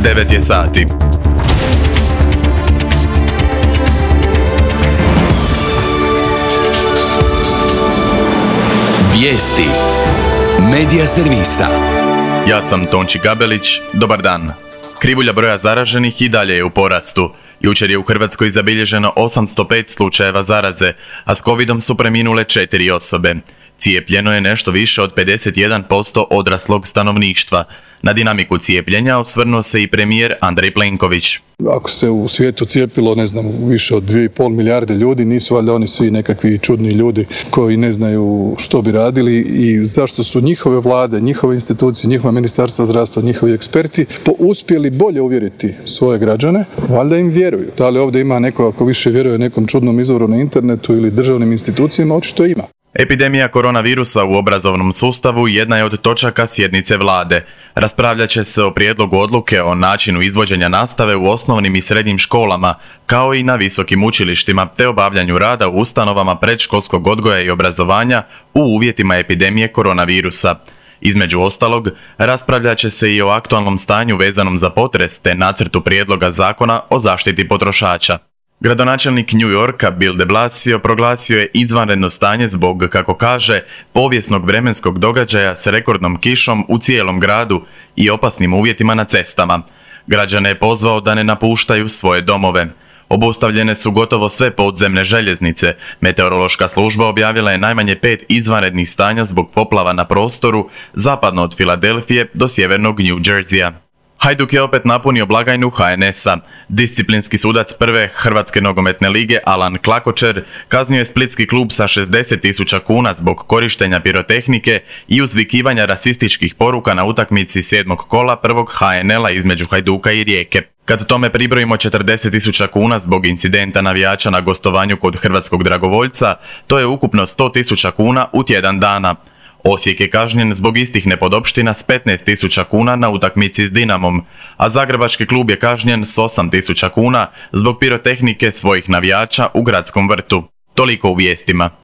9 je sati. Vijesti Medija servisa. Ja sam Tonči Gabelić, dobar dan. Krivulja broja zaraženih i dalje je u porastu. Jučer je u Hrvatskoj zabilježeno 805 slučajeva zaraze, a s covidom su preminule 4 osobe. Cijepljeno je nešto više od 51% odraslog stanovništva. Na dinamiku cijepljenja osvrnuo se i premijer Andrej Plenković. Ako se u svijetu cijepilo, više od 2,5 milijarde ljudi, nisu valjda oni svi nekakvi čudni ljudi koji ne znaju što bi radili i zašto su njihove vlade, njihove institucije, njihova ministarstva zdravstva, njihovi eksperti uspjeli bolje uvjeriti svoje građane, valjda im vjeruju. Da li ovdje ima neko ako više vjeruje nekom čudnom izvoru na internetu ili državnim institucijama, očito ima. Epidemija koronavirusa u obrazovnom sustavu jedna je od točaka sjednice vlade. Raspravljat će se o prijedlogu odluke o načinu izvođenja nastave u osnovnim i srednjim školama, kao i na visokim učilištima, te obavljanju rada u ustanovama predškolskog odgoja i obrazovanja u uvjetima epidemije koronavirusa. Između ostalog, raspravljat će se i o aktualnom stanju vezanom za potres te nacrtu prijedloga zakona o zaštiti potrošača. Gradonačelnik New Yorka Bill de Blasio proglasio je izvanredno stanje zbog, kako kaže, povijesnog vremenskog događaja s rekordnom kišom u cijelom gradu i opasnim uvjetima na cestama. Građane je pozvao da ne napuštaju svoje domove. Obustavljene su gotovo sve podzemne željeznice. Meteorološka služba objavila je najmanje 5 izvanrednih stanja zbog poplava na prostoru zapadno od Filadelfije do sjevernog New Jerseya. Hajduk je opet napunio blagajnu HNS-a. Disciplinski sudac prve Hrvatske nogometne lige Alan Klakočer kaznio je splitski klub sa 60.000 kuna zbog korištenja pirotehnike i uzvikivanja rasističkih poruka na utakmici 7. kola prvog HNL-a između Hajduka i Rijeke. Kad tome pribrojimo 40.000 kuna zbog incidenta navijača na gostovanju kod hrvatskog dragovoljca, to je ukupno 100.000 kuna u tjedan dana. Osijek je kažnjen zbog istih nepodopština s 15.000 kuna na utakmici s Dinamom, a zagrebački klub je kažnjen s 8.000 kuna zbog pirotehnike svojih navijača u gradskom vrtu. Toliko u vijestima.